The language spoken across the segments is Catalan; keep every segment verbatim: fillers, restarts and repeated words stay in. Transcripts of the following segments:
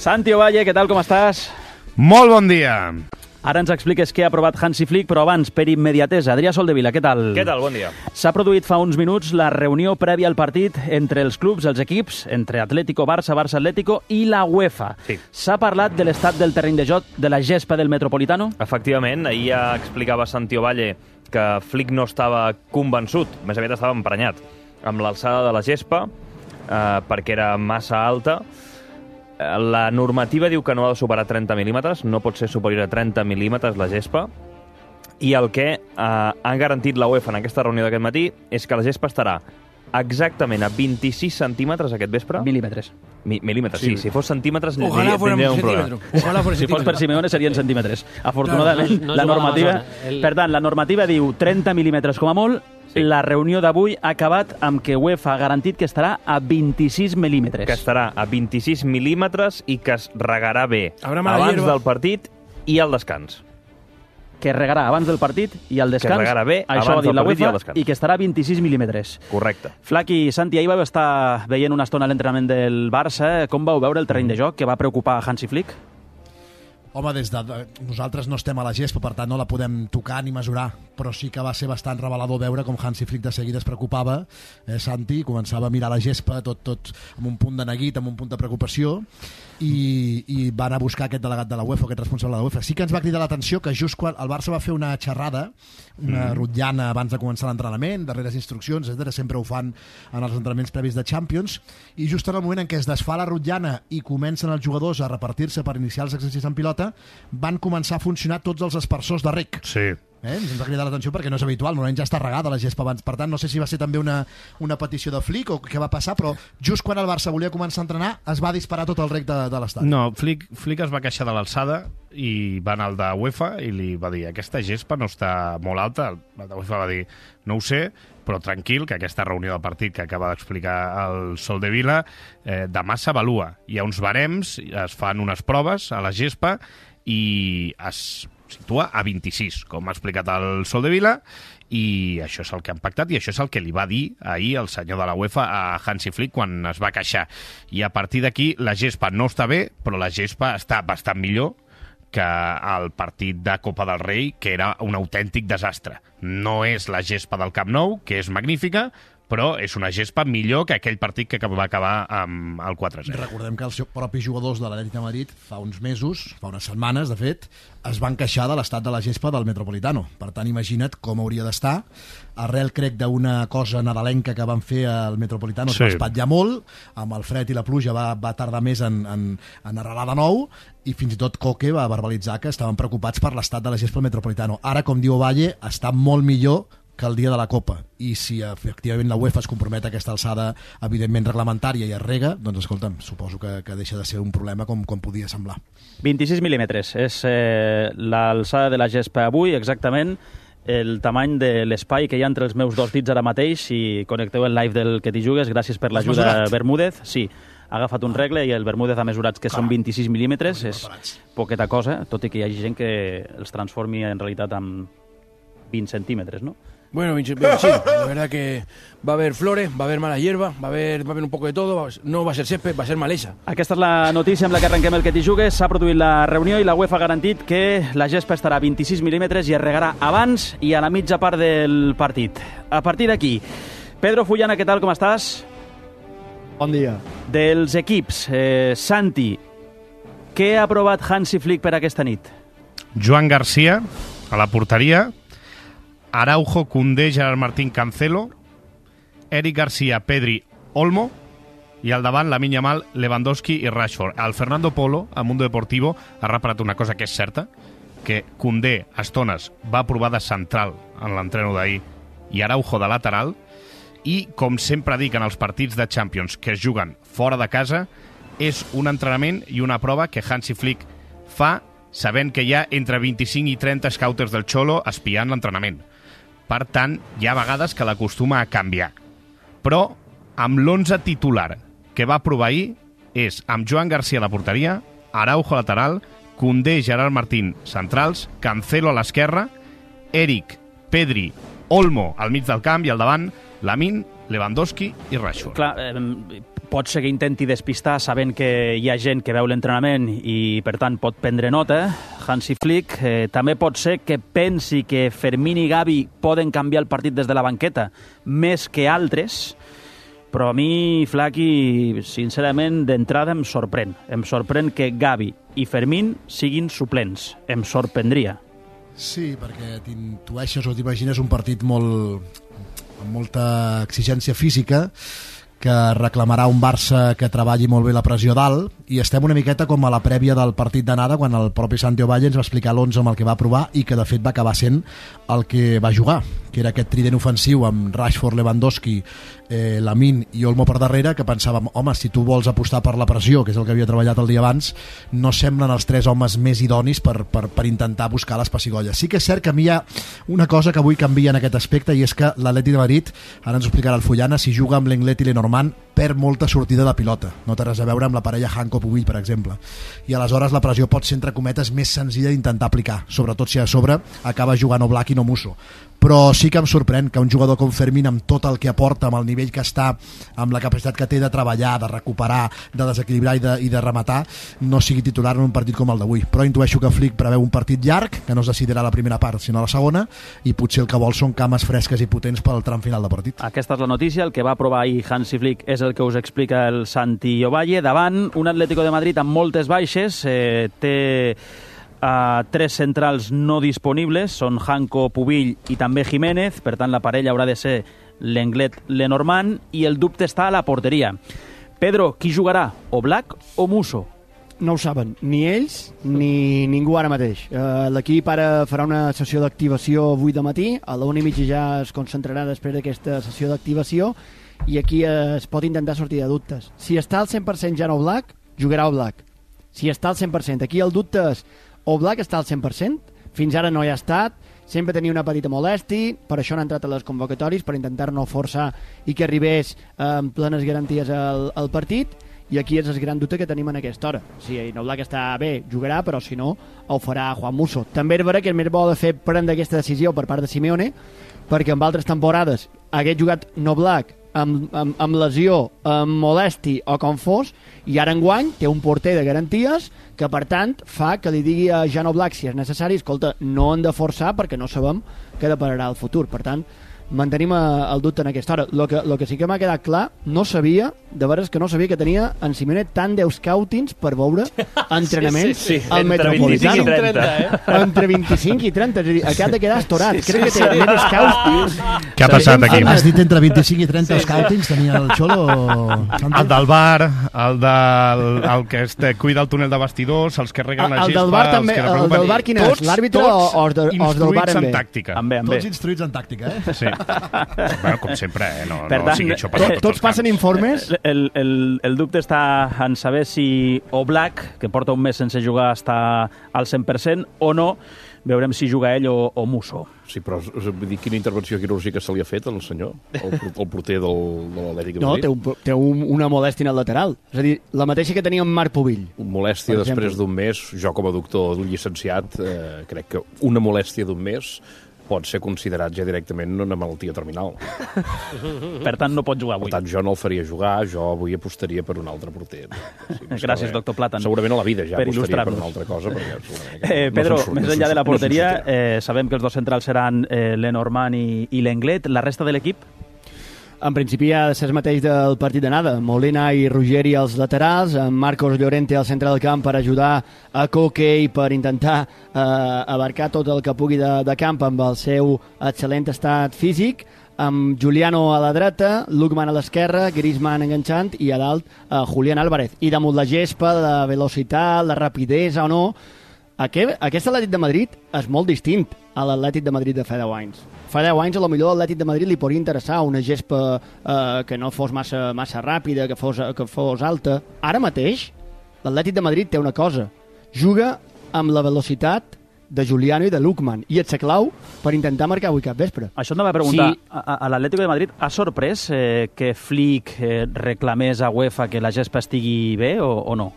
Santi Ovalle, què tal, com estàs? Molt bon dia. Ara ens expliques què ha aprovat Hansi Flick, però abans, per immediatesa, Adrià Soldevila, què tal? Què tal? Bon dia. S'ha produït fa uns minuts la reunió prèvia al partit entre els clubs, els equips, entre Atlético Barça, Barça Atlético i la UEFA. Sí. S'ha parlat de l'estat del terreny de joc de la gespa del Metropolitano? Efectivament, ahir ja explicava Santi Ovalle que Flick no estava convençut, més aviat estava emprenyat amb l'alçada de la gespa, eh, perquè era massa alta. La normativa diu que no ha de superar trenta mil·límetres, no pot ser superior a trenta mil·límetres la gespa, i el que eh, han garantit la UEFA en aquesta reunió d'aquest matí és que la gespa estarà exactament a vint-i-sis centímetres aquest vespre. Mil·límetres. Mi, mil·límetres, sí. sí. Si fos centímetres, Ojalá fuera tindria un un problema. Ojalá fuera Si fos per Simeone serien centímetres. Afortunadament, Claro, no- no la juga normativa... a la zona. El- Per tant, la normativa diu trenta mil·límetres com a molt. Sí. La reunió d'avui ha acabat amb que UEFA ha garantit que estarà a vint-i-sis mil·límetres. Que estarà a vint-i-sis mil·límetres i que es regarà bé Habrá mala abans hierba. del partit i al descans. Que regarà abans del partit i al descans. regarà bé Això abans ha dit del la partit i al UEFA, descans. i que estarà a vint-i-sis mil·límetres. Correcte. Flaqui, Santi, ahir vau estar veient una estona l'entrenament del Barça. Com vau veure el terreny de joc que va preocupar Hansi Flick? Home, des de, de, nosaltres no estem a la gespa, per tant no la podem tocar ni mesurar, però sí que va ser bastant revelador veure com Hansi Flick de seguida es preocupava, eh, Santi, començava a mirar la gespa tot, tot amb un punt de neguit, amb un punt de preocupació, i, i va anar a buscar aquest delegat de la UEFA, aquest responsable de la UEFA. Sí que ens va cridar l'atenció que just quan el Barça va fer una xerrada, una mm. rotllana abans de començar l'entrenament, darreres instruccions, etcètera, sempre ho fan en els entrenaments previs de Champions, i just en el moment en què es desfà la rotllana i comencen els jugadors a repartir-se per iniciar els exercicis en pilota, van començar a funcionar tots els aspersors de rec. Sí. Eh? Ens va cridar l'atenció perquè no és habitual, normalment ja està regada la gespa abans. Per tant, no sé si va ser també una, una petició de Flick o què va passar, però just quan el Barça volia començar a entrenar es va disparar tot el rec de, de l'estat. No, Flick, Flick es va queixar de l'alçada i va anar al de UEFA i li va dir aquesta gespa no està molt alta. El de UEFA va dir, no ho sé, però tranquil, que aquesta reunió del partit que acaba d'explicar el Soldevila eh, demà s'avalua. Hi ha uns barems, es fan unes proves a la gespa i es situa a vint-i-sis, com ha explicat el Soldevila, i això és el que han pactat i això és el que li va dir ahir el senyor de la UEFA a Hansi Flick quan es va queixar. I a partir d'aquí la gespa no està bé, però la gespa està bastant millor que el partit de Copa del Rei, que era un autèntic desastre. No és la gespa del Camp Nou, que és magnífica, però és una gespa millor que aquell partit que va acabar amb el quatre a zero. Recordem que els propis jugadors de l'Atlètic de Madrid fa uns mesos, fa unes setmanes, de fet, es van queixar de l'estat de la gespa del Metropolitano. Per tant, imagina't com hauria d'estar. Arrel, crec, d'una cosa nadalenca que van fer al Metropolitano, es Sí. va espatllar molt, amb el fred i la pluja va, va tardar més en, en, en arrelar de nou, i fins i tot Coque va verbalitzar que estaven preocupats per l'estat de la gespa del Metropolitano. Ara, com diu Ovalle, està molt millor que el dia de la Copa, i si efectivament la UEFA es compromet a aquesta alçada evidentment reglamentària i es rega, doncs escolta'm, suposo que, que deixa de ser un problema com, com podia semblar. vint-i-sis mil·límetres és eh, l'alçada de la gespa avui, exactament el tamany de l'espai que hi ha entre els meus dos dits ara mateix. Si connecteu el live del Que t'hi jugues, gràcies per Has l'ajuda, mesurat? Bermúdez. Sí, ha agafat un regle i el Bermúdez ha mesurat que són vint-i-sis mil·límetres, és preparats. poqueta cosa, tot i que hi hagi gent que els transformi en realitat en vint centímetres, no? Bueno, Vinci- bueno, sí, la verdad que va a haver flores, va a haver mala hierba, va a haver, va a haver un poco de todo, va a- no va a ser césped, va a ser malesa. Aquesta és la notícia amb la que arrenquem el Que t'hi jugues. S'ha produït la reunió i la UEFA ha garantit que la gespa estarà a vint-i-sis mil·límetres i es regarà abans i a la mitja part del partit. A partir d'aquí, Pedro Fullana, què tal, com estàs? Bon dia. Dels equips, eh, Santi, què ha aprovat Hansi Flick per aquesta nit? Joan Garcia, a la porteria, Araujo, Koundé, Gerard Martín, Cancelo, Eric Garcia, Pedri, Olmo, i al davant Lamine Yamal, Lewandowski i Rashford. El Fernando Polo, a Mundo Deportivo, ha reparat una cosa que és certa, que Koundé, a estones, va provar de central en l'entreno d'ahir i Araujo de lateral, i, com sempre dic en els partits de Champions que es juguen fora de casa, és un entrenament i una prova que Hansi Flick fa sabent que hi ha entre vint-i-cinc i trenta scouters del Xolo espiant l'entrenament. Per tant, hi ha vegades que l'acostuma a canviar. Però, amb l'onze titular que va provar ahir, és amb Joan Garcia a la porteria, Araujo lateral, Koundé, Gerard Martín centrals, Cancelo a l'esquerra, Eric, Pedri, Olmo al mig del camp i al davant, Lamine Lewandowski i Rashford. Clar, eh, pot ser que intenti despistar sabent que hi ha gent que veu l'entrenament i, per tant, pot prendre nota. Hansi Flick eh, també pot ser que pensi que Fermín i Gavi poden canviar el partit des de la banqueta més que altres, però a mi, Flaqui, sincerament, d'entrada em sorprèn. Em sorprèn que Gavi i Fermín siguin suplents. Em sorprendria. Sí, perquè t'intueixes o t'imagines un partit molt amb molta exigència física, que reclamarà un Barça que treballi molt bé la pressió dalt, i estem una miqueta com a la prèvia del partit d'anada, quan el propi Santi Ovalle ens va explicar l'onze amb el que va provar i que de fet va acabar sent el que va jugar, que era aquest trident ofensiu amb Rashford, Lewandowski, eh, Lamine i Olmo per darrere, que pensàvem, home, si tu vols apostar per la pressió, que és el que havia treballat el dia abans, no semblen els tres homes més idonis per, per, per intentar buscar les pessigolles. Sí que és cert que a mi hi ha una cosa que avui canvia en aquest aspecte, i és que l'Atleti de Madrid, ara ens ho explicarà el Fullana, si juga amb l'Englet i l'Enormand, perd molta sortida de pilota. No té res a veure amb la parella Hanko-Pubill, per exemple. I aleshores la pressió pot ser, entre cometes, més senzilla d'intentar aplicar, sobretot si a sobre acaba jugant Oblak i no Musso. Però sí que em sorprèn que un jugador com Fermín, amb tot el que aporta, amb el nivell que està, amb la capacitat que té de treballar, de recuperar, de desequilibrar i de, i de rematar, no sigui titular en un partit com el d'avui. Però intueixo que Flick preveu un partit llarg, que no es decidirà la primera part, sinó la segona, i potser el que vol són cames fresques i potents pel tram final de partit. Aquesta és la notícia. El que va aprovar ahir Hansi Flick és el que us explica el Santi Ovalle. Davant, un Atlético de Madrid amb moltes baixes, eh, té a tres centrals no disponibles, són Hanko, Pubill i també Jiménez, per tant la parella haurà de ser l'Englet, l'Enormand, i el dubte està a la porteria. Pedro, qui jugarà? Oblak o Musso? No ho saben, ni ells ni ningú ara mateix. Uh, L'equip ara farà una sessió d'activació avui de matí, a la una i mitja ja es concentrarà després d'aquesta sessió d'activació, i aquí es pot intentar sortir de dubtes. Si està al cent per cent ja no Oblak, jugarà Oblak. Si està al cent per cent, aquí el dubte és Oblak està al cent per cent, fins ara no hi ha estat, sempre tenia una petita molèstia, per això han entrat a les convocatòries, per intentar no forçar i que arribés eh, amb plenes garanties al, al partit, i aquí és el gran dubte que tenim en aquesta hora. Si Oblak està bé, jugarà, però si no, ho farà Juan Musso. També és vera que és més bo de fer prendre aquesta decisió per part de Simeone, perquè en altres temporades hagués jugat Oblak amb, amb, amb lesió, amb molèstia o com fos, i ara enguany té un porter de garanties que, per tant, fa que li digui a Jan Oblak, si és necessari, escolta, no hem de forçar perquè no sabem què depararà el futur. Per tant, mantenim el dubte en aquesta hora. Lo que, lo que sí que m'ha quedat clar, no sabia, de veres que no sabia que tenia en Simeone tant de scoutings per veure entrenaments sí, sí, sí. al Metropolitano. vint-i-cinc i trenta, eh? Entre vint-i-cinc i trenta, és a dir, aquest de quedar estorat. Sí, Crec sí, que té sí. més scoutings. Què ha passat aquí? Has dit entre vint-i-cinc i trenta sí, scoutings, tenia el Xolo? El del bar, el, del, el que este, cuida el túnel de bastidors, els que reguen la gespa, el del bar també, els que el del bar quin és? L'àrbitre o els del bar en en bé? tàctica. En bé, en bé. Tots instruïts en tàctica, eh? Sí. Bueno, com sempre, eh? No, per no tant, sigui això per tots, tots passen camps. informes. El, el, el dubte està en saber si Oblak, que porta un mes sense jugar, està al cent per cent o no. Veurem si juga ell o, o Musso. Sí, però vull dir, quina intervenció quirúrgica se li ha fet al senyor, el, el porter del, de l'Atlètic de No, Madrid? té, un, té un, una molèstia al lateral. És a dir, la mateixa que tenia en Marc Pubill. Molèstia després d'un mes, jo com a doctor llicenciat, eh, crec que una molèstia d'un mes pot ser considerat ja directament una malaltia terminal. Per tant, no pot jugar avui. Per tant, jo no el faria jugar, jo avui apostaria per un altre porter. Sí, Gràcies, doctor Platan. Segurament a la vida ja per apostaria per una altra cosa. Perquè, eh, Pedro, no més enllà de la porteria, eh, sabem que els dos centrals seran eh, l'Enormand i, i l'Englet. La resta de l'equip? En principi ha de ser el mateix del partit d'anada. Molina i Ruggeri als laterals, amb Marcos Llorente al centre del camp per ajudar a Koke i per intentar eh, abarcar tot el que pugui de, de camp amb el seu excel·lent estat físic, amb Juliano a la dreta, Lookman a l'esquerra, Griezmann enganxant i a dalt eh, Julián Álvarez. I damunt la gespa, la velocitat, la rapidesa o no, aquest, aquest Atlètic de Madrid és molt distint a l'Atlètic de Madrid de fa deu anys. Fa deu anys, a lo millor l'Atlètic de Madrid li podria interessar una gespa eh, que no fos massa, massa ràpida, que fos, que fos alta. Ara mateix, l'Atlètic de Madrid té una cosa. Juga amb la velocitat de Juliano i de Lookman, i et sa clau per intentar marcar avui cap vespre. Això em va preguntar. Sí. A, a l'Atlético de Madrid ha sorprès eh, que Flick eh, reclamés a UEFA que la gespa estigui bé o, o no?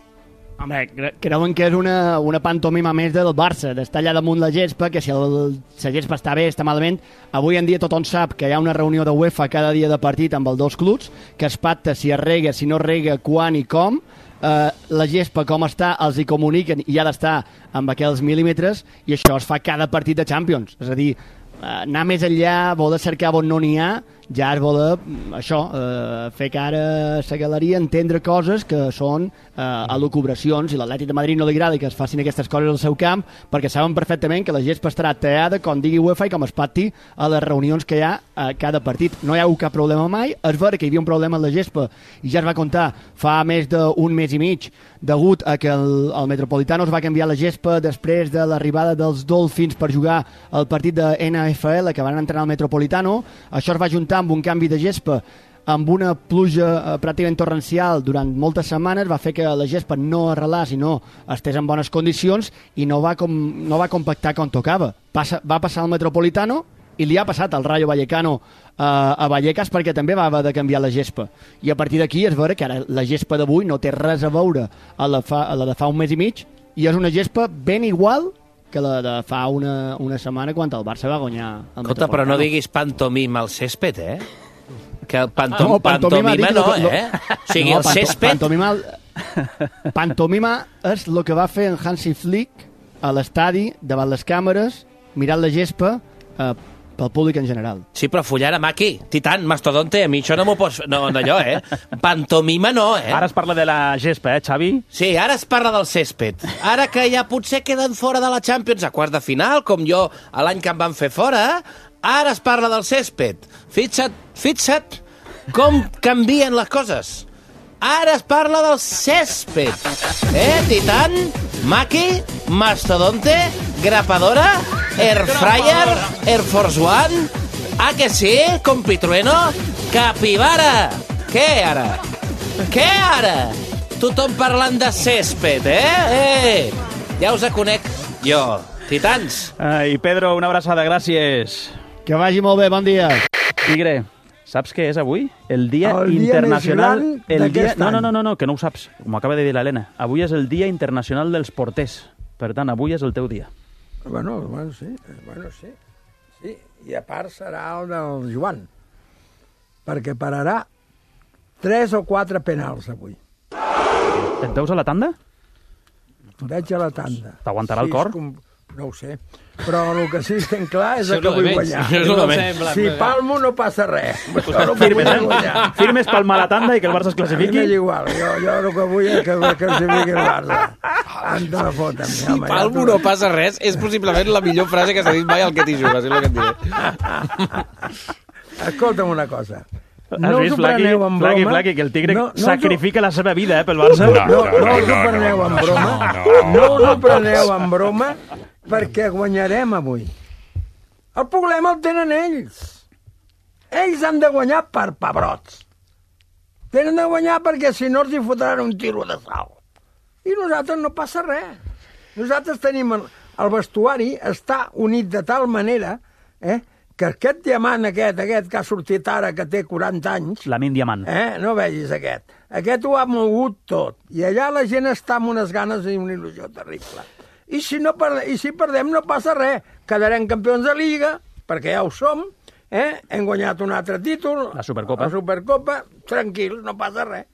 Home, creuen que és una, una pantomima més del Barça, d'estar allà damunt la gespa, que si el, la gespa està bé, està malament. Avui en dia tothom sap que hi ha una reunió de UEFA cada dia de partit amb els dos clubs, que es pacta si es rega, si no es rega, quan i com. Eh, la gespa, com està, els hi comuniquen i ha d'estar amb aquells mil·límetres, i això es fa cada partit de Champions. És a dir, eh, anar més enllà, voler cercar on no n'hi ha, ja es voler, això, eh, fer cara a la galeria, entendre coses que són eh, elucubracions, i l'Atlètic de Madrid no li agrada que es facin aquestes coses al seu camp, perquè saben perfectament que la gespa estarà tallada, com digui UEFA, i com es pacti a les reunions que hi ha a cada partit. No hi ha hagut cap problema mai. És vera que hi havia un problema amb la gespa, i ja es va contar fa més d'un mes i mig, degut a que el, el Metropolitano es va canviar la gespa després de l'arribada dels Dolphins per jugar el partit de N F L que van entrenar al Metropolitano. Això es va juntar amb un canvi de gespa, amb una pluja eh, pràcticament torrencial durant moltes setmanes, va fer que la gespa no arrelés i no estés en bones condicions, i no va, com, no va compactar com tocava. Passa, va passar al Metropolitano i li ha passat al Rayo Vallecano eh, a Vallecas, perquè també va haver de canviar la gespa. I a partir d'aquí es veure que ara la gespa d'avui no té res a veure a la, fa, a la de fa un mes i mig, i és una gespa ben igual que la de fa una, una setmana quan el Barça va guanyar el Escolta, però no diguis pantomima al césped, eh? Que el pantom, ah, no, pantomima, pantomima no, lo, eh? O sigui, no, el césped... Pantomima, pantomima és el que va fer en Hansi Flick a l'estadi, davant les càmeres, mirant la gespa, eh, pel públic en general. Sí, però follar amb aquí, Titan, mastodonte, a mi això no m'ho pots... No, d'allò, eh? Pantomima no, eh? Ara es parla de la gespa, eh, Xavi? Sí, ara es parla del césped. Ara que ja potser queden fora de la Champions a quarts de final, com jo l'any que em van fer fora, ara es parla del césped. Fixa't, fixa't com canvien les coses. Ara es parla del césped. Eh, Titan, Maki, Mastodonte, Grapadora, Airfryer, Air Force One... Ah, que sí? Compitrueno? Capibara! Què ara? Què ara? Tothom parlant de césped, eh? Eh! Ja us conec jo. Titans. Ai, Pedro, una abraçada, gràcies. Que vagi molt bé, bon dia. Tigre, saps què és avui? El dia el internacional... Dia el dia... any. No, no, no, no, no, que no ho saps. M'ho acaba de dir l'Helena. Avui és el dia internacional dels porters. Per tant, avui és el teu dia. Bueno, bueno, sí, bueno, sí. Sí, i a part serà el del Joan, perquè pararà tres o quatre penals avui. Et veus a la tanda? Veig a la tanda. T'aguantarà el Sí, cor? Com... No ho sé, però el que sí que estic clar és Això que és vull lo de guanyar. menys. Això és lo de menys. Si palmo no passa res. Però el que Firmes, vull és eh? guanyar. Firmes palmar la tanda i que el Barça es A mi classifiqui? m'és igual, jo, jo el que vull és que, que classifiqui el Barça. Em te la foten. Si palmo no passa res, és possiblement la millor frase que s'ha dit mai al que t'hi jugues, és el que et diré. Escolta'm una cosa. Has No us vist, ho Flaqui, preneu en Flaqui, broma. Flaqui, que el Tigre No, no us ho- sacrifica la seva vida, eh, pel Barça? No, no, no, no us ho no, preneu no, en no, broma. no, No us ho no. preneu en broma, perquè guanyarem avui. El problema el tenen ells. Ells han de guanyar per pebrots. Tenen de guanyar perquè si no els hi fotran un tiro de sal. I nosaltres no passa res. Nosaltres tenim... El, el vestuari està unit de tal manera eh, que aquest diamant aquest, aquest que ha sortit ara, que té quaranta anys... Lamin Diamant. Eh? No vegis aquest. Aquest ho ha mogut tot. I allà la gent està amb unes ganes i una il·lusió terrible. I si, no perde, i si perdem no passa res. Quedarem campions de Lliga, perquè ja ho som. Eh? Hem guanyat un altre títol. La Supercopa. La Supercopa. Tranquil, no passa res.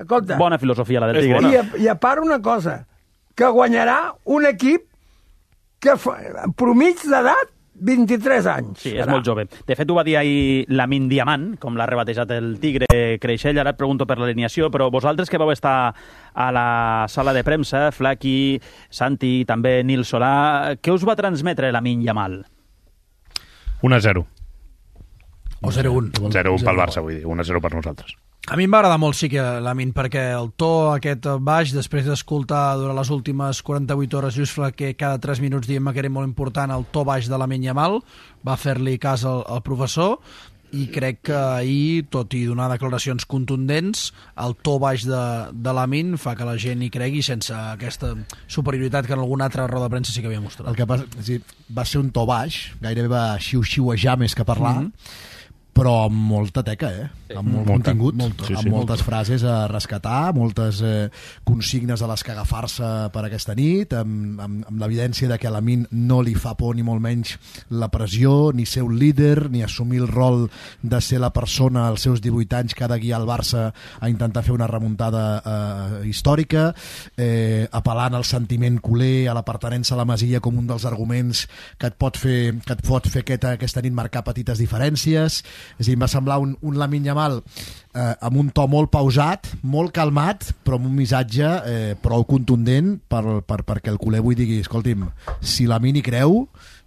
Escolta. Bona filosofia, la del És Tigre. bona. I a, I a part una cosa, que guanyarà un equip que fa, promig d'edat vint-i-tres anys. Sí, és molt jove. De fet, ho va dir ahir Lamin Diamant, com l'ha rebatejat el Tigre Creixell. Ara et pregunto per l'alineació, però vosaltres que vau estar a la sala de premsa, Flaqui, Santi, també Nil Solà, què us va transmetre Lamin Yamal? un a zero. O zero un. zero un pel Barça, vull dir. un a zero per nosaltres. A mi em va agradar molt, sí, que Lamin, perquè el to aquest baix, després d'escoltar durant les últimes quaranta-vuit hores Jusfla, que cada tres minuts diem que era molt important el to baix de Lamin Yamal, va fer-li cas al, al professor, i crec que ahir, tot i donar declaracions contundents, el to baix de, de Lamin fa que la gent hi cregui sense aquesta superioritat que en alguna altra roda de premsa sí que havia mostrat. El que passa, és dir, va ser un to baix, gairebé va xiu-xiuejar més que parlar, mm -hmm. però amb molta teca, eh? Sí. Amb molt Molta. contingut, Molta. Sí, amb sí. moltes frases a rescatar, moltes eh, consignes a les que agafar-se per aquesta nit, amb, amb, amb l'evidència de que a Lamine no li fa por ni molt menys la pressió, ni ser un líder, ni assumir el rol de ser la persona als seus divuit anys que ha de guiar el Barça a intentar fer una remuntada eh, històrica, eh, apel·lant al sentiment culer, a l'apartenença a la Masia com un dels arguments que et pot fer, que et pot fer aquesta, aquesta nit marcar petites diferències. És a dir, em va semblar un, un Lamine Yamal eh, amb un to molt pausat, molt calmat, però amb un missatge eh, prou contundent per, per, perquè el culer avui digui, escolti'm, si Lamine hi creu,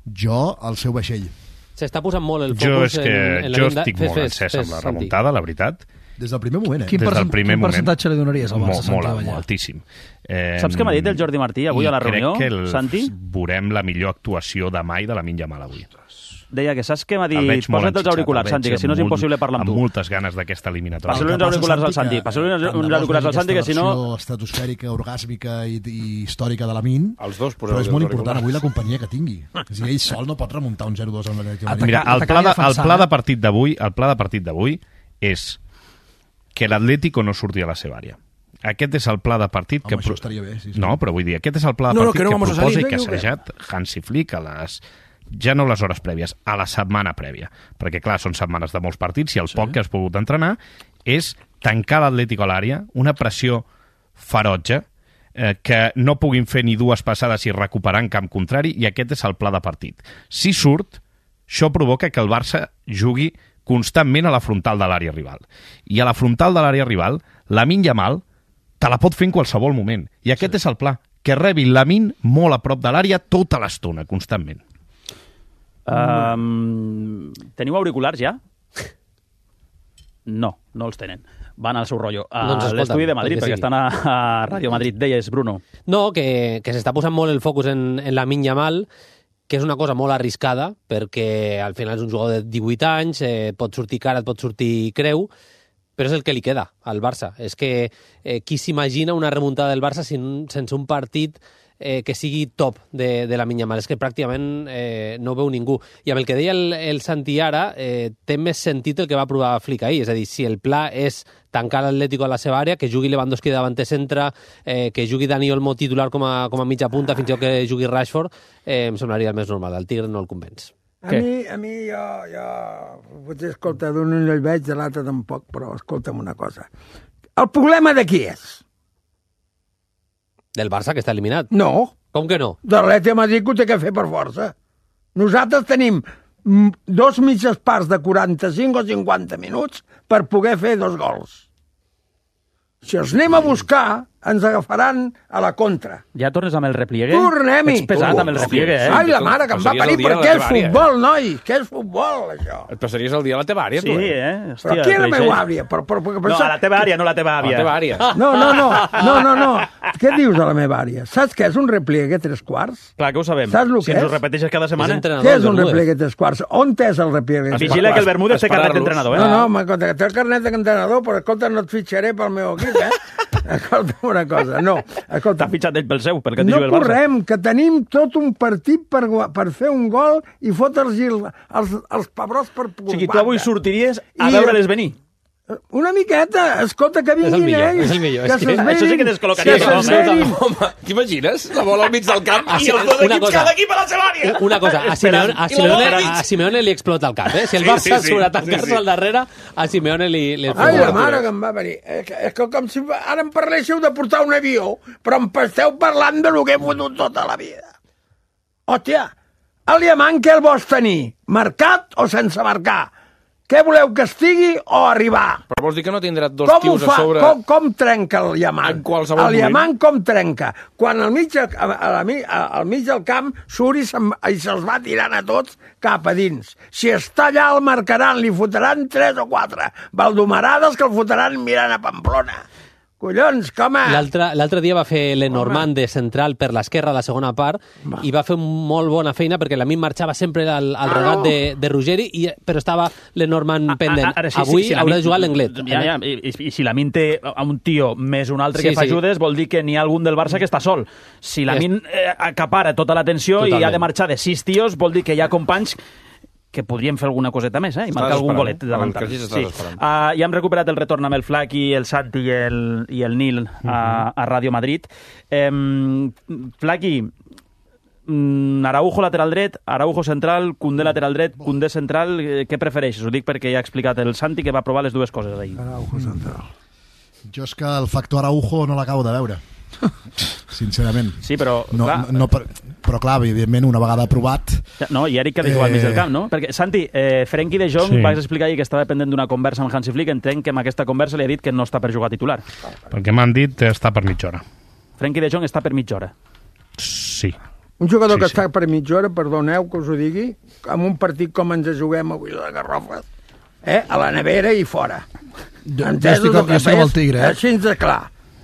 jo al seu vaixell. S'està posant molt el Jo focus és que en, en la jo venda. estic Fes, molt fes, encès fes, amb la Santi. remuntada, la veritat. Des del primer moment, eh? Quin, Des del percent, primer quin moment. percentatge li donaries al Barça, Molt, Santi molt, Abellà? molt, altíssim. Eh, Saps què m'ha dit el Jordi Martí avui a la reunió, I crec que el, Santi? veurem la millor actuació de mai de Lamine Yamal avui. Deia que saps què m'ha El dit? veig molt Posa't els enxitxat, auriculars, el veig Santi, que si no és amb impossible molt- parlar amb tu. Amb moltes ganes d'aquesta eliminatòria. Passa-li uns auriculars al Santi, passa-li uns uns auriculars al Santi, que si no... estratosfèrica, orgàsmica i, i històrica de Lamine, Els dos però és poseu molt important avui la companyia que tingui. És a dir, ell sol no pot remuntar un zero dos amb l'Atlètic de Madrid. Mira, el pla de, el pla de partit d'avui, el pla de partit d'avui és que l'Atlético no surti a la seva àrea. Aquest és el pla de partit Home, que... això estaria bé, sí, sí. No, però vull dir, aquest és el pla de No, no, partit que no que, vamos a proposa salir, i que ha venga, o què? assajat Hansi Flick a les... ja no les hores prèvies, a la setmana prèvia. Perquè, clar, són setmanes de molts partits i el sí. poc que has pogut entrenar és tancar l'Atlético a l'àrea, una pressió ferotge, eh, que no puguin fer ni dues passades i recuperar en camp contrari, i aquest és el pla de partit. Si surt, això provoca que el Barça jugui constantment a la frontal de l'àrea rival. I a la frontal de l'àrea rival, Lamine Yamal te la pot fer en qualsevol moment. I aquest sí. és el pla, que rebi Lamine molt a prop de l'àrea tota l'estona, constantment. Um, teniu auriculars ja? No, no els tenen. Van al seu rotllo. A Doncs escolta'm, l'estudi de Madrid, el que perquè sigui. estan a, a Ràdio Madrid. Deies, Bruno. No, que, que s'està posant molt el focus en, en Lamine Yamal, que és una cosa molt arriscada, perquè al final és un jugador de divuit anys, eh, pot sortir cara, et pot sortir creu, però és el que li queda al Barça. És que eh, qui s'imagina una remuntada del Barça sin, sense un partit eh, que sigui top de, de Lamine Yamal? És que pràcticament eh, no veu ningú. I amb el que deia el, el Santi ara, eh, té més sentit el que va provar Flick ahir. És a dir, si el pla és tancar l'Atlético a la seva àrea, que jugui Lewandowski de davanter centre, eh, que jugui Dani Olmo titular com a, com a mitja punta, fins i tot que jugui Rashford, eh, em semblaria el més normal. El Tigre no el convenç. A mi, a mi jo, jo, potser, escolta, d'un ull el veig, de l'altre tampoc, però escolta'm una cosa. El problema de qui és? Del Barça, que està eliminat. No. Com que no? De l'Atlètic de Madrid que ho té que fer per força. Nosaltres tenim mm, dos mitges parts de quaranta-cinc o cinquanta minuts per poder fer dos gols. Si els anem a buscar, ens agafaran a la contra. Ja tornes amb el repliegue? Tornem-hi! Ets pesat amb el repliegue, eh? Ai, la mare que em va parir, però què és futbol, noi? Què és futbol, això? Et passaries el dia a la teva àrea, Sí, tu, eh? eh? Però Hòstia, aquí a la creixell. meva àvia. Però, però, però, No, a la teva àrea, no la teva A la àvia. teva àrea. No, no, no, no, no, no. Què dius de la meva àrea? Saps què és un repliegue tres quarts? Clar que ho sabem. Saps el si que ens és? ho repeteixes cada setmana. Què és un repliegue tres quarts? On és el repliegue tres quarts? Vigila que el Bermúdez té carnet d'entrenador, eh? No, no, m'escolta, que té el carnet d'entrenador, però escolta, no et fitxaré pel meu equip, eh? Escolta una cosa, no. Escolta, T'ha fitxat ell pel seu, pel que t'hi no juga el Barça. correm, que tenim tot un partit per, gua- per fer un gol i fotre'ls els, els, els pebrots per O sigui, tu avui sortiries a I- veure-les venir. Una miqueta, escolta, que vinguin És el millor, ells. és el millor, Que és que- s'esverin, això sí que descol·locaria que tothom, eh? s'esverin. Home, t'imagines? La bola al mig del camp Ah, i sí, els dos una equips, cosa. cada equip a la seva àrea. Una cosa, a Simeone, a I la Simeone, bola a Simeone li explota el cap, eh? Si el Sí, Barça sí, sí. surt a tancar-se Sí, sí. al darrere, a Simeone li, li Ai, explota la el mare cap. que em va venir. És que, és que com si ara em parléssiu de portar un avió, però em esteu parlant de lo que he fotut tota la vida. Hòstia, el diamant què el vols tenir? Marcat o sense marcar? Què voleu que estigui o arribar? Però vols dir que no tindrà dos Com ho tios fa? a sobre... Com, com trenca el diamant? En qualsevol el diamant moment. com trenca? Quan al mig, a, a, la, mi- a, al mig del camp surt i se'm- i se'ls va tirant a tots cap a dins. Si està allà el marcaran, li fotran tres o quatre. Valdomarades que el fotran mirant a Pamplona. Collons, com a... L'altre l'altre dia va fer Lenormand de central per l'esquerra a la segona part i va fer molt bona feina perquè la mi marxava sempre al, al Ah, regat no. de, de Ruggeri, i, però estava Lenormand pendent. Ara, sí, Avui sí, si haurà Lamine- de jugar l'Englet. Ja, ja, i, i, i si Lamine té a un tio més un altre Sí, que fa sí. ajudes, vol dir que n'hi ha algun del Barça que està sol. Si Lamine eh, acapara tota l'atenció i Totalment. ha de marxar de sis tios, vol dir que hi ha companys que podrien fer alguna coseta més, eh? I marcar algun golet davantal. Sí. Sí. Uh, ja hem recuperat el retorn amb el Flaqui, el Santi i el, i el Nil a, uh-huh. a Ràdio Madrid. Um, Flaqui, um, Araujo lateral dret, Araujo central, Koundé lateral dret, Koundé central, eh, què prefereixes? Ho dic perquè ja ha explicat el Santi que va provar les dues coses ahir. Araujo central. Jo és que el factor Araujo no l'acabo de veure. Sincerament. Sí, però... No, clar, no, no, per, però clar, evidentment, una vegada aprovat... No, i Eric que ha de jugar al mig del camp, no? Perquè, Santi, eh, Frenkie de Jong, sí. vas explicar ahir que estava pendent d'una conversa amb Hansi Flick, entenc que amb aquesta conversa li ha dit que no està per jugar titular. Perquè m'han dit està per mitja hora. Frenkie de Jong està per mitja hora. Sí. Un jugador sí, que sí. està per mitja hora, perdoneu que us ho digui, amb un partit com ens juguem avui de Garrofes, eh? A la nevera i fora. Jo, jo estic amb, jo amb el Tigre, eh? Així de clar.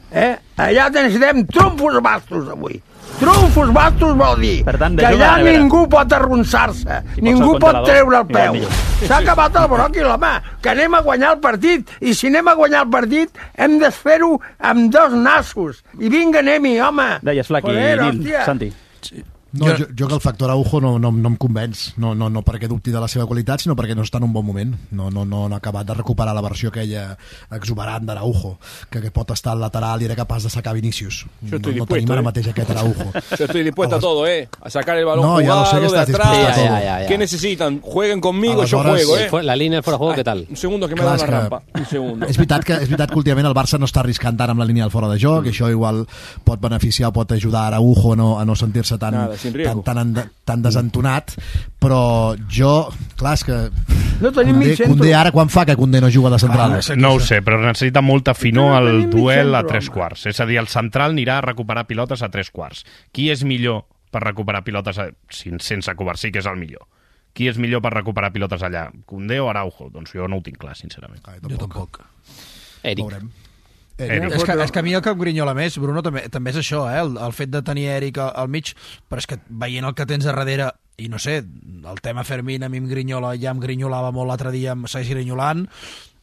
Eh? Allà necessitem trumfos bastos avui. Trumfos bastos vol dir per tant, que allà ningú pot arronsar-se, ningú pot treure el peu. S'ha acabat el broc i l'home, que anem a guanyar el partit, i si anem a guanyar el partit hem de fer-ho amb dos nassos. I vinga, anem-hi, home. Deies, Flaqui, Nil, Santi. Sí. No, jo, jo que el factor Araujo no, no, no em convenç, no, no, no perquè dubti de la seva qualitat, sinó perquè no està en un bon moment. No, no, no, no ha acabat de recuperar la versió aquella exuberant d'Araujo, que, que pot estar al lateral i era capaç de sacar Vinícius. Yo No, estoy no dispuesto, tenim ara eh. mateix aquest Araujo. Yo estoy dispuesto a todo, ¿eh? A sacar el balón No, ya lo sé que jugado de estás atrás. dispuesto a todo. Ya, ya, ya. ¿Qué necesitan? Jueguen conmigo, yo Aleshores, juego, ¿eh? Fue- La línia fuera de juego, Ay, què tal? Un segundo que me Clar, da és una que- rampa. Un segundo. És veritat que, és veritat que últimament el Barça no està arriscant tant amb la línia del fora de joc, mm. i això igual pot beneficiar o pot ajudar a Araujo a no, a no sentir-se tan, Nada, sin riesgo. tan, tan, tan desentonat, però jo, clar, és que No tenim Koundé, mig centre. Koundé ara quan fa que Koundé no juga de central? Ah, No ho sé, però necessita molta finor No al tenim mig duel a centre, tres home. quarts. És a dir, el central anirà a recuperar pilotes a tres quarts. Qui és millor per recuperar pilotes a... sin- sense Covarsí, que és el millor? Qui és millor per recuperar pilotes allà? Koundé o Araujo? Doncs jo no ho tinc clar, sincerament. Ah, Jo tampoc. Eric. Veurem. Eric. És que, és que a mi el que em grinyola més, Bruno, també, també és això, eh? el, el fet de tenir Eric al, al mig, però és que veient el que tens a darrere, i no sé, el tema Fermín a mi em grinyola, ja em grinyolava molt l'altre dia, em segueix grinyolant.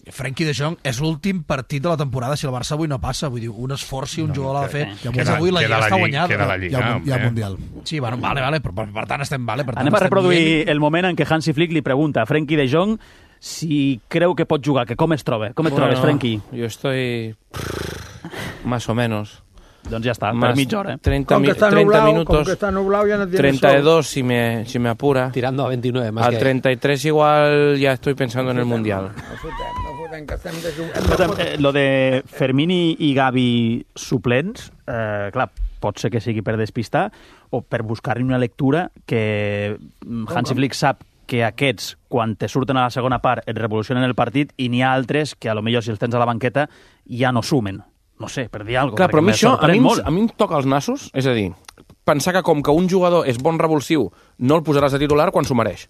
Frenkie de Jong és l'últim partit de la temporada si el Barça avui no passa, vull dir, un esforç si un no, jugador l'ha de fer, ja que és avui la Lliga està guanyada. Queda la Lliga, Hi ha, un- hi ha home. Mundial. Sí, bueno, vale, vale, però per, per tant estem vale. Per tant, Anem a estem reproduir dient- el moment en què Hansi Flick li pregunta a Frenkie de Jong si creu que pot jugar, que com es troba. Com et Bueno, trobes, Frenkie? Yo estoy más o menos. Doncs ja està, per Más mitja hora. treinta, Com que mi- està treinta nublau, com minutos. que està nublau ja no tiene treinta y sol. dos si me, si me apura. Tirando a veintinueve, más Al que... treinta y tres igual ya estoy pensando en el Mundial. No fotem, no fotem, que estem de jugar. Escolta'm, eh, lo de Fermín i, i Gavi suplents, eh, clar, pot ser que sigui per despistar o per buscar-hi una lectura que mm, Hansi Flick sap que aquests, quan te surten a la segona part, et revolucionen el partit, i n'hi ha altres que, a lo millor, si els tens a la banqueta, ja no sumen. No sé, per dir alguna cosa. Clar, però a mi perquè això, me a mi, sorprèn em- molt. a mi em toca els nassos, és a dir, pensar que com que un jugador és bon revulsiu, no el posaràs de titular quan s'ho mereix.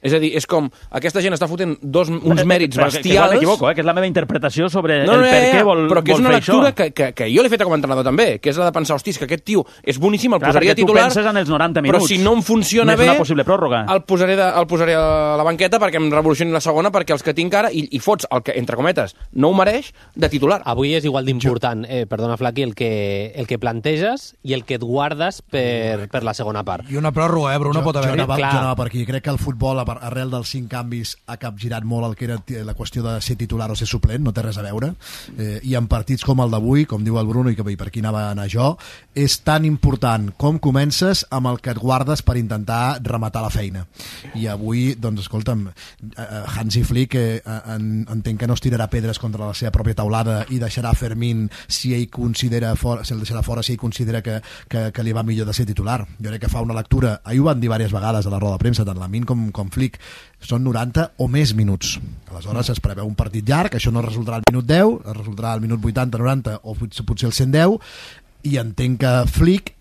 És a dir, és com, aquesta gent està fotent dos, uns mèrits Però que- Que, bestials... que m'equivoco, eh? que és la meva interpretació sobre No, el no, per ja, què ja, vol, però que és vol una fer lectura això. que, que, que jo l'he fet com a entrenador també, que és la de pensar, hostis, que aquest tio és boníssim, el Clar, posaria perquè tu titular, penses en els noranta però minuts. si no em funciona Més bé, una possible pròrroga. el posaré, de, el posaré a la banqueta perquè em revolucioni la segona, perquè els que tinc ara, i, i fots el que, entre cometes, no ho mereix, de titular. Avui és igual d'important, eh, perdona, Flaqui, el que, el que planteges i el que et guardes per, per la segona part. I una pròrroga, eh, Bruno, jo, pot jo, haver-hi. anava, clar. jo anava per aquí. Crec que el futbol, a- arrel dels cinc canvis, ha capgirat molt el que era t- la qüestió de ser titular o ser suplent, no té res a veure. Eh, I en partits com el d'avui, com diu el Bruno, i que i per aquí anava a anar jo, és tan important com comences amb el que et guardes per intentar rematar la feina. I avui, doncs, escolta'm, eh, eh, Hansi Flick eh, en, entenc que no es tirarà pedres contra la seva pròpia taulada i deixarà Fermín si ell considera fora, si el deixarà fora si ell considera que, que, que li va millor de ser titular. Jo crec que fa una lectura, ahir ho van dir diverses vegades a la roda de premsa, tant Lamin com, com Flick, són noranta o més minuts. Aleshores es preveu un partit llarg, això no resultarà al minut deu, es resultarà al minut vuitanta, noranta o potser, potser el cent deu, i entenc que Flick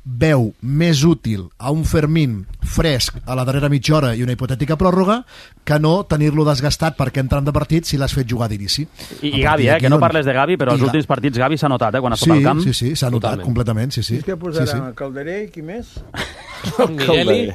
veu més útil a un Fermín fresc a la darrera mitja hora i una hipotètica pròrroga que no tenir-lo desgastat perquè entren de partit si l'has fet jugar d'inici. I, i Gavi, eh, que no parles de Gavi, però I els Ga- últims partits Gavi s'ha notat, eh, quan ha Sí, estat al camp. sí, sí, s'ha notat Totalment. completament, sí, sí. És que sí, posarà sí. Calderé i qui més? Migueli,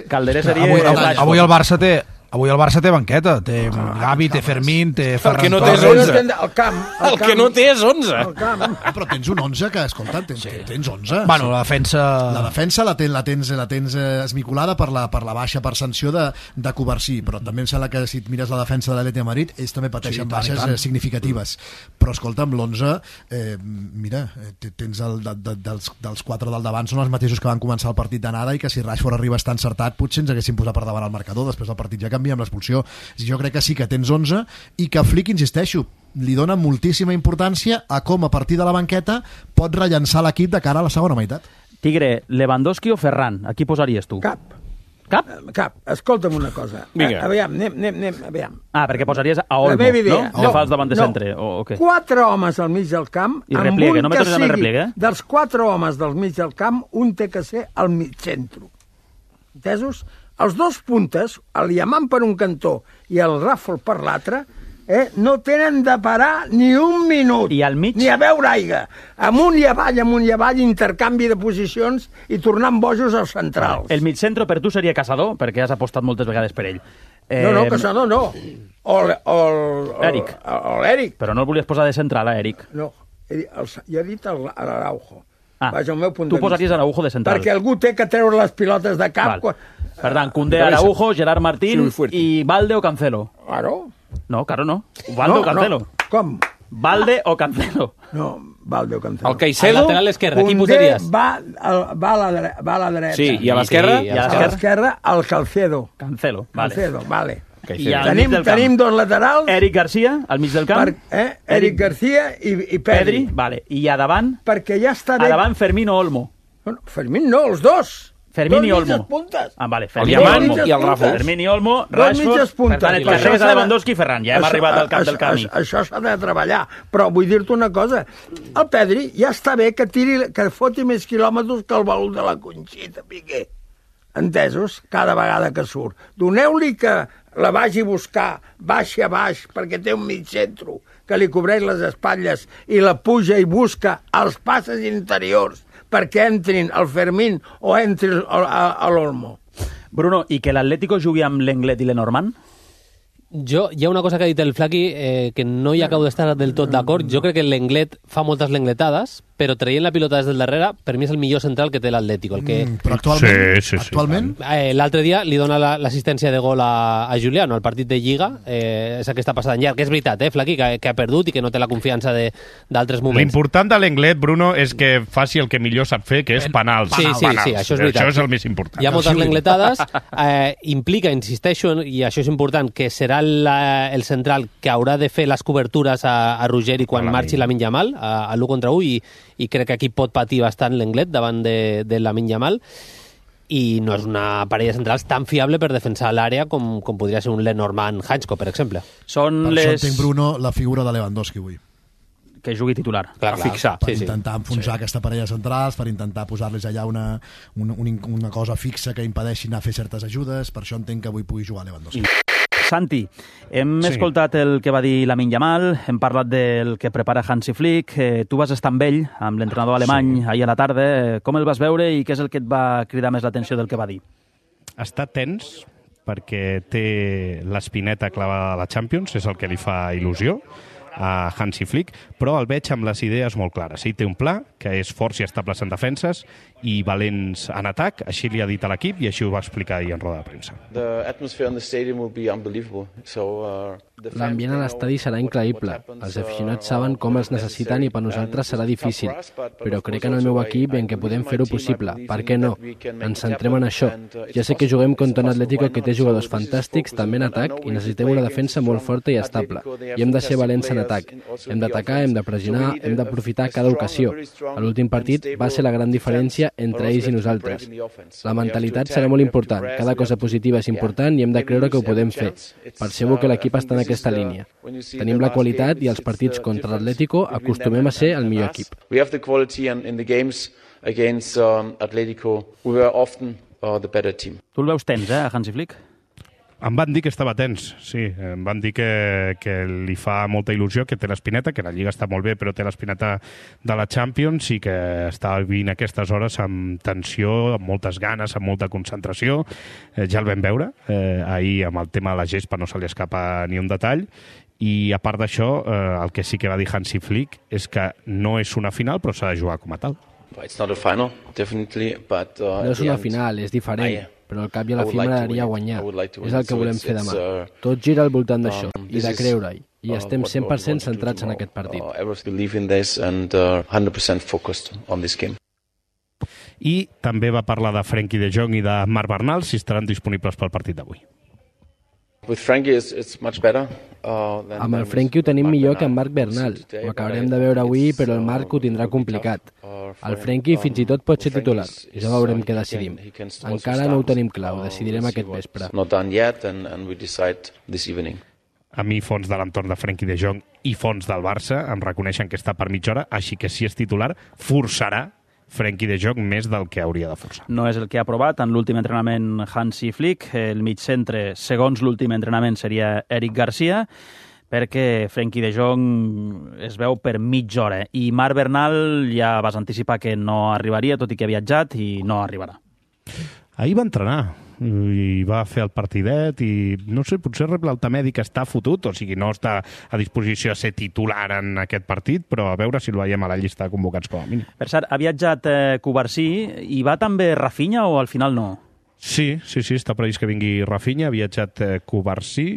Calderé seria... Avui, el avui, Rashford. avui el Barça té Avui el Barça té banqueta, té Gavi, té Fermín, té Ferran que no té és Torres. onze. El camp. El, el que no té és onze. El camp. Ah, però tens un onze que, escolta, tens, sí. tens onze. Bueno, la defensa... La defensa la, ten, la tens, la tens eh, esmicolada per la, per la baixa per sanció de, de Covarsí, però també em sembla que si et mires la defensa de l'Atlètic de Madrid, ells també pateixen Sí, tant, baixes tant. eh, significatives. Però, escolta, amb l'onze, eh, mira, eh, tens el, de, de, dels, dels quatre del davant són els mateixos que van començar el partit d'anada i que si Rashford arriba a estar encertat potser ens haguessin posat per davant el marcador, després del partit ja canvia amb l'expulsió. Jo crec que sí que tens onze i que Flick, insisteixo, li dona moltíssima importància a com a partir de la banqueta pot rellençar l'equip de cara a la segona meitat. Tigre, Lewandowski o Ferran? A qui posaries tu? Cap. Cap? Cap. Escolta'm una cosa. Vinga. A, aviam, anem, anem, anem, aviam. Ah, perquè posaries a La Olmo, meva idea. no? No, fas davant de centre, o, o què? Quatre homes al mig del camp, I amb repliegue, un no me que tornis amb el sigui, repliegue, eh? dels quatre homes del mig del camp, un té que ser al mig centre. Entesos? Els dos puntes, el Yaman per un cantó i el Ràfol per l'altre, eh, no tenen de parar ni un minut. I al mig? Ni a beure aigua. Amunt i avall, amunt i avall, intercanvi de posicions i tornant bojos als centrals. El mitjentro per tu seria Caçador, perquè has apostat moltes vegades per ell. Eh, No, no, Caçador no. O l- o l- o- Eric. O l'Eric. Però no el volies posar de central, eh, Eric? No, he dit- el- jo he dit el- l'Araujo. Ah, Vaja, el meu punt tu de posaries vista. Araujo de central. Perquè algú té que treure les pilotes de cap. Val. Quan... Per tant, Koundé, Araujo, Gerard Martín Sí, fuerte. i Valde o Cancelo. Claro. No, claro no. Valde no, o Cancelo. No. Com? Valde o Cancelo. No, Valde o Cancelo. El Caicedo... Al lateral esquerre, qui Koundé posaries? va, al- va, a la dre va a la dreta. Sí, i a l'esquerra? Sí, I a A l'esquerra? l'esquerra, el Calcedo. Cancelo, vale. Calcedo, vale. I al mig Tenim, del camp? tenim dos laterals, Eric Garcia, al mig del camp. per, eh? Eric García i, i Pedri. Pedri, vale. I a davant? Perquè ja està A bé... davant Fermín o Olmo. Bueno, Fermín no, els dos. Fermín dos i Olmo. mitges puntes. Ah, vale. El Fermín i Yaman Olmo. i el Ràfol. Fermín i Olmo, Dos Rashford... mitges puntes. Per tant, et Això carregues s'ha a de- Lewandowski i Ferran. Ja hem Això- arribat al cap del això- camí. Això, això s'ha de treballar. Però vull dir-te una cosa. El Pedri ja està bé que tiri, que foti més quilòmetres que el baúl de la Conxita, Piqué. Entesos? Cada vegada que surt. Doneu-li que la vagi a buscar, baixi a baix, perquè té un mig centre que li cobreix les espatlles i la puja i busca els passes interiors perquè entrin el Fermín o entri el- a, a l'Olmo. Bruno, i que l'Atlético jugui amb l'Englet i l'Enormand? Jo, hi ha una cosa que ha dit el Flaqui eh, que no hi acabo d'estar del tot d'acord. Jo crec que l'Englet fa moltes lengletades, però traient la pilota des del darrere, per mi és el millor central que té l'Atlético. El que... Mm, però actualment, Sí, sí, sí, actualment Eh, L'altre dia li dona la- l'assistència de gol a, a Juliano al partit de Lliga, eh, és aquesta passada en llarg, que és veritat, eh, Flaqui, que, que ha perdut i que no té la confiança de- d'altres moments. L'important de l'Englet, Bruno, és que faci el que millor sap fer, que és penals. Sí, sí, penals. sí, això és veritat. Això és el més important. Hi ha moltes lengletades, eh, implica, insisteixo, i això és important, que serà la, el central que haurà de fer les cobertures a, a Rugeri quan A la marxi Lamine Yamal, a, a l'u contra u, i, i crec que aquí pot patir bastant l'Englet davant de, de Lamine Yamal, i no és una parella de centrals tan fiable per defensar l'àrea com, com podria ser un Lenormand Hansko, per exemple. Són per les... això entenc, Bruno, la figura de Lewandowski avui. Que jugui titular. Clar, A fixar. Per Sí, sí. intentar enfonsar sí. aquesta parella de centrals, per intentar posar-les allà una, una, una cosa fixa que impedeixi anar a fer certes ajudes, per això entenc que avui pugui jugar Lewandowski. Santi, hem Sí. escoltat el que va dir Lamine Yamal, hem parlat del que prepara Hansi Flick, eh, tu vas estar amb ell, amb l'entrenador alemany, sí. ahir a la tarda, eh, com el vas veure i què és el que et va cridar més l'atenció del que va dir? Està tens perquè té l'espineta clavada a la Champions, és el que li fa il·lusió a Hansi Flick, però el veig amb les idees molt clares. Ell té un pla, que és forts i estables en defenses i valents en atac, així li ha dit a l'equip i així ho va explicar ahir en roda de premsa. L'ambient a l'estadi serà increïble. Els aficionats saben com els necessiten i per nosaltres serà difícil. Però crec en el meu equip i en què podem fer-ho possible. Per què no? Ens centrem en això. Ja sé que juguem contra un Atlético que té jugadors fantàstics, també en atac, i necessitem una defensa molt forta i estable. I hem de ser valents en atac. Hem d'atacar, hem de pressionar, hem d'aprofitar cada ocasió. A l'últim partit va ser la gran diferència entre ells i nosaltres. La mentalitat serà molt important. Cada cosa positiva és important i hem de creure que ho podem fer. Percebo que l'equip està en aquesta línia. Tenim la qualitat i els partits contra l'Atlético acostumem a ser el millor equip. We have the quality and in the games against um, Atletico we were often uh, the better team. Tu el veus tens, eh, a Hansi Flick? Em van dir que estava tens, sí. Em van dir que, que li fa molta il·lusió, que té l'espineta, que la Lliga està molt bé, però té l'espineta de la Champions i que està vivint aquestes hores amb tensió, amb moltes ganes, amb molta concentració. Eh, ja el vam veure. Eh, ahir, amb el tema de la gespa, no se li escapa ni un detall. I, a part d'això, eh, el que sí que va dir Hansi Flick és que no és una final, però s'ha de jugar com a tal. It's not a final, definitely, but, uh, no és una final, és diferent. Però al cap i a la fi m'agradaria guanyar. És el que volem fer demà. Tot gira al voltant d'això i de creure-hi. I estem cent per cent centrats en aquest partit. I també va parlar de Frenkie de Jong i de Marc Bernal, si estaran disponibles pel partit d'avui. Amb el Frenkie ho tenim millor que amb Marc Bernal. Ho acabarem de veure avui, però el Marc ho tindrà complicat. El Frenkie fins i tot pot ser titular. Ja veurem què decidim. Encara no ho tenim clar, ho decidirem aquest vespre. A mi, fons de l'entorn de Frenkie de Jong i fons del Barça em reconeixen que està per mitja hora, així que si és titular, forçarà Frenkie de Jong més del que hauria de forçar. No és el que ha aprovat en l'últim entrenament Hansi Flick. El mig centre, segons l'últim entrenament, seria Eric Garcia, perquè Frenkie de Jong es veu per mitja hora. I Marc Bernal ja vas anticipar que no arribaria, tot i que ha viatjat, i no arribarà. Ahir va entrenar i va fer el partidet i, no sé, potser rep l'alta mèdica està fotut, o sigui, no està a disposició de ser titular en aquest partit, però a veure si el veiem a la llista de convocats com a mínim. Per cert, ha viatjat eh, Cubarsí i va també Rafinha o al final no? Sí, sí, sí, està previst que vingui Rafinha, ha viatjat eh, Cubarsí.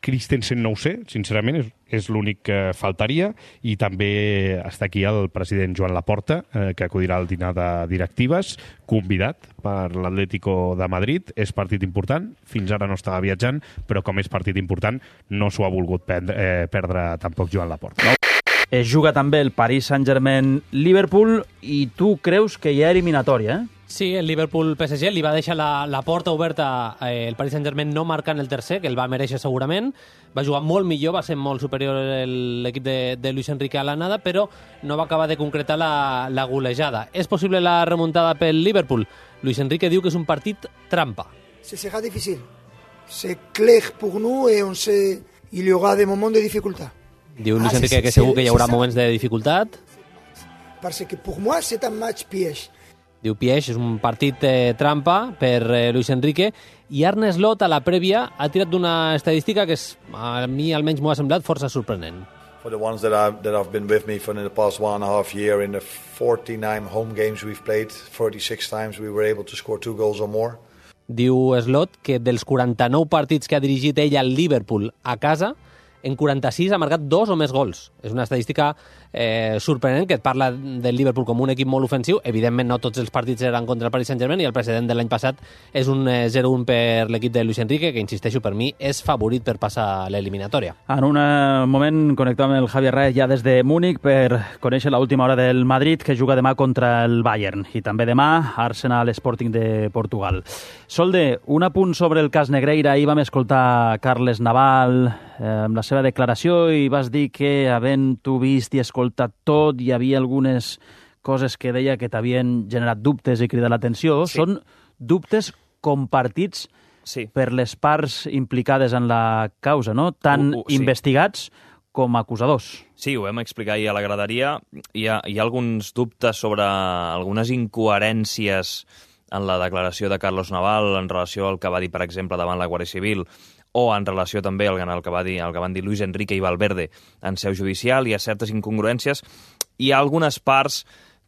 Christensen no ho sé, sincerament, és, és l'únic que faltaria, i també està aquí el president Joan Laporta, eh, que acudirà al dinar de directives, convidat per l'Atlético de Madrid. És partit important, fins ara no estava viatjant, però com és partit important no s'ho ha volgut perdre, eh, perdre tampoc Joan Laporta. Es juga també el Paris Saint-Germain-Liverpool i tu creus que hi ha eliminatòria, eh? Sí, el Liverpool-P S G li va deixar la, la porta oberta eh, el Paris Saint-Germain no marcant el tercer, que el va mereixer segurament. Va jugar molt millor, va ser molt superior l'equip de, de Luis Enrique a l'anada, però no va acabar de concretar la, la golejada. És possible la remuntada pel Liverpool? Luis Enrique diu que és un partit trampa. Ce sera difficile. C'est clair pour nous et on sait il y aura des moments de dificultat. Diu Luis Enrique ah, que segur que hi haurà moments de dificultat. Parce que pour moi c'est un match piège. Diu Pieix, és un partit eh, trampa per eh, Luis Enrique, i Arne Slot a la prèvia ha tirat d'una estadística que és, a mi almenys m'ho ha semblat força sorprenent. For the ones that I've, that I've been with me for in the past one and a half year, in the forty-nine home games we've played, forty-six times we were able to score two goals or more. Diu Slot que dels quaranta-nou partits que ha dirigit ell al Liverpool a casa, en quaranta-sis ha marcat dos o més gols. És una estadística eh, sorprenent, que et parla del Liverpool com un equip molt ofensiu. Evidentment no tots els partits eren contra el Paris Saint-Germain, i el precedent de l'any passat és un eh, zero un per l'equip de Luis Enrique, que, insisteixo, per mi és favorit per passar l'eliminatòria. En un eh, moment connectem amb el Javier Reyes ja des de Múnich per conèixer l'última hora del Madrid, que juga demà contra el Bayern, i també demà Arsenal Sporting de Portugal. Solde, un apunt sobre el cas Negreira. Ahir vam escoltar Carles Naval eh, amb la seva declaració i vas dir que, havent-ho vist i escoltat tot, hi havia algunes coses que deia que t'havien generat dubtes i cridat l'atenció. Sí. Són dubtes compartits sí. per les parts implicades en la causa, no? Tant uh, uh, sí. investigats com acusadors. Sí, ho vam explicar ahir a la graderia. Hi ha, hi ha alguns dubtes sobre algunes incoherències en la declaració de Carlos Naval en relació al que va dir, per exemple, davant la Guàrdia Civil, o en relació també al que, va dir, al que van dir Luis Enrique i Valverde en seu judicial. Hi ha certes incongruències. Hi ha algunes parts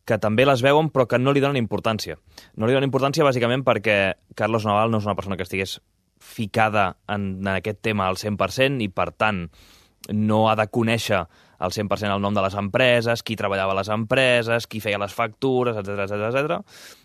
que també les veuen però que no li donen importància. No li donen importància bàsicament perquè Carlos Naval no és una persona que estigués ficada en, en aquest tema al cent per cent i, per tant, no ha de conèixer al cent per cent el nom de les empreses, qui treballava a les empreses, qui feia les factures, etcètera, etcètera, etcètera.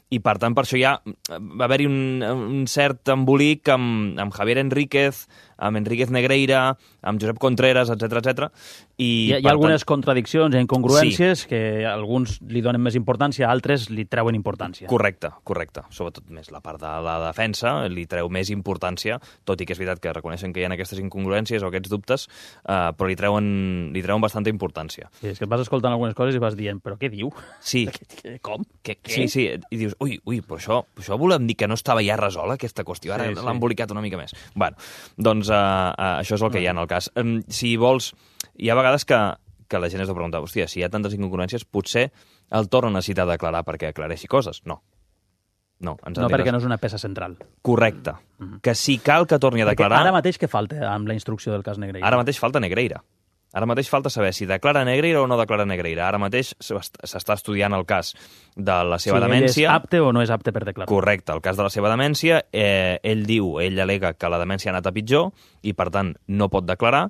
I, per tant, per això ja va haver-hi un, un cert embolic amb, amb Javier Enríquez, amb Enríquez Negreira, amb Josep Contreras, etcètera, etcètera. I hi ha, hi ha algunes tant... contradiccions i incongruències sí. que alguns li donen més importància, altres li treuen importància. Correcte, correcte. Sobretot més la part de la defensa li treu més importància, tot i que és veritat que reconeixen que hi ha aquestes incongruències o aquests dubtes, eh, però li treuen, li treuen bastanta importància. Sí, és que et vas escoltant algunes coses i vas dient, però què diu? Sí. Com? Que, sí, sí, i dius, ui, ui, però això, això volem dir que no estava ja resola aquesta qüestió, ara sí, sí. l'ha embolicat una mica més. Bueno, doncs uh, uh, això és el que hi ha en el cas. Um, si vols, hi ha vegades que, que la gent es de preguntar, hòstia, si hi ha tantes incongruències, potser el torn necessita declarar perquè aclareixi coses. No. No, ens no perquè no és una peça central. Correcte. Mm-hmm. Que si cal que torni a declarar... Perquè ara mateix què falta amb la instrucció del cas Negreira? Ara mateix falta Negreira. Ara mateix falta saber si declara Negreira o no declara Negreira. Ara mateix s'està estudiant el cas de la seva sí, demència. Si ell és apte o no és apte per declarar. Correcte, el cas de la seva demència. Eh, ell diu, ell al·lega que la demència ha anat a pitjor i, per tant, no pot declarar.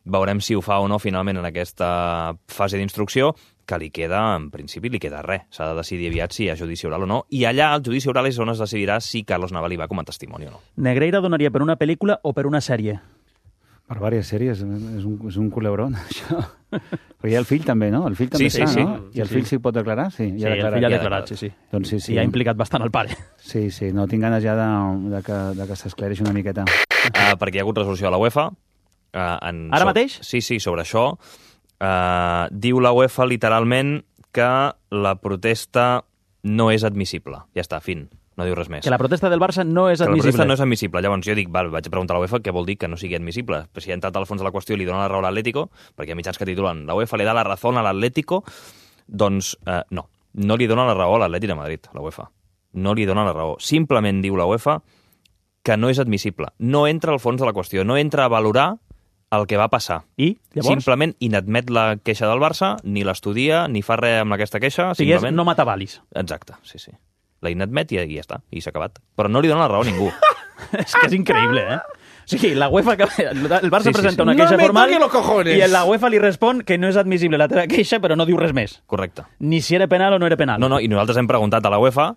Veurem si ho fa o no finalment en aquesta fase d'instrucció, que li queda, en principi, li queda res. S'ha de decidir aviat si hi ha judici oral o no. I allà, el judici oral és on es decidirà si Carlos Naval hi va com a testimoni o no. Negreira donaria per una pel·lícula o per una sèrie? Per diverses sèries, és un, és un culebrón, això. Però hi ha el fill també, no? El fill també sí, està, sí, no? Sí. I el fill sí pot declarar? Sí, sí ha declarat, el fill ha declarat, sí, sí. Doncs sí, sí. I ha implicat bastant el pare. Sí, sí, no tinc ganes ja de, de que, de que s'esclareixi una miqueta. Uh, perquè hi ha hagut resolució a la UEFA. Uh, en Ara so... mateix? Sí, sí, sobre això. Uh, diu la UEFA literalment que la protesta no és admissible. Ja està, fin. No diu res més. Que la protesta del Barça no és que admissible. La protesta no és admissible. Llavors jo dic, val, vaig a preguntar a la UEFA què vol dir que no sigui admissible. Però si ha entrat al fons de la qüestió i li dona la raó a l'Atlético, perquè hi ha mitjans que titulen la UEFA li da la raó a l'Atlético, doncs eh, no. No li dona la raó a l'Atlètic de Madrid, la UEFA. No li dona la raó. Simplement diu la UEFA que no és admissible. No entra al fons de la qüestió. No entra a valorar el que va passar. I, llavors? Simplement inadmet la queixa del Barça, ni l'estudia, ni fa res amb aquesta queixa. O sigui, simplement... és no matavalis. Exacte, sí, sí. La inadmet i, i ja està, i s'ha acabat. Però no li dona la raó a ningú. És que és increïble, eh? O sigui, la UEFA, el Barça sí, sí, presenta sí. una queixa no formal i la UEFA li respon que no és admissible la teva queixa, però no diu res més. Correcte. Ni si era penal o no era penal. No, no, i nosaltres hem preguntat a la UEFA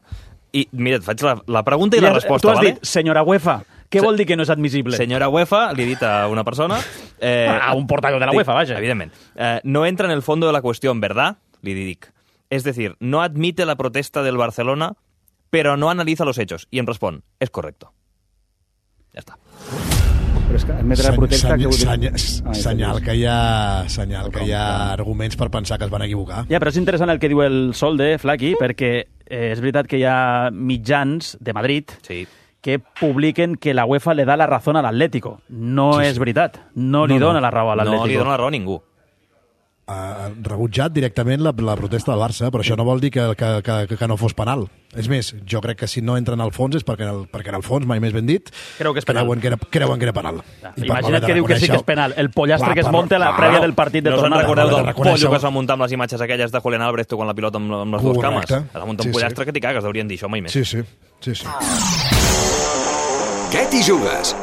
i, mira, et faig la, la pregunta i, I la resposta, tu has vale? dit, senyora UEFA, què Se vol dir que no és admissible? Senyora UEFA, li he dit a una persona... Eh, a un portaveu de la UEFA, vaja. Evidentment. Eh, no entra en el fondo de la cuestión, ¿verdad? Li dic. Es decir, no admite la protesta del Barcelona, pero no analiza los hechos. I em respon, és correcto. Ja està. Però és que admetre la protesta... Seny, que seny, seny, senyal que hi ha, senyal que hi ha arguments per pensar que es van equivocar. Ja, però és interessant el que diu el Solde, Flaqui, perquè eh, és veritat que hi ha mitjans de Madrid sí. que publiquen que la UEFA le da la raó a l'Atlético. No sí, és veritat. No li no, dona no. la raó a l'Atlético. No li dona la raó a ningú. Ha rebutjat directament la, la protesta del Barça, però això no vol dir que, que, que, que no fos penal. És més, jo crec que si no entren al fons és perquè en el, perquè en el fons, mai més ben dit, Creu que és penal. creuen, que era, creuen que era penal. Ja, imagina't que diu que sí que és penal. El pollastre clar, que es monta a la prèvia del partit de no tornada. No se'n recordeu del pollo que es va muntar amb les imatges aquelles de Julián Álvarez quan la pilota amb, amb les dues cames? Es va muntar un sí, pollastre sí. que t'hi cagues, deurien dir això mai més. Sí, sí. sí, sí. Què t'hi jugues?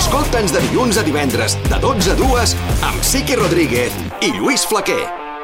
Escolta'ns de dilluns a divendres, de dotze a dues, amb Siqui Rodríguez i Lluís Flaquer.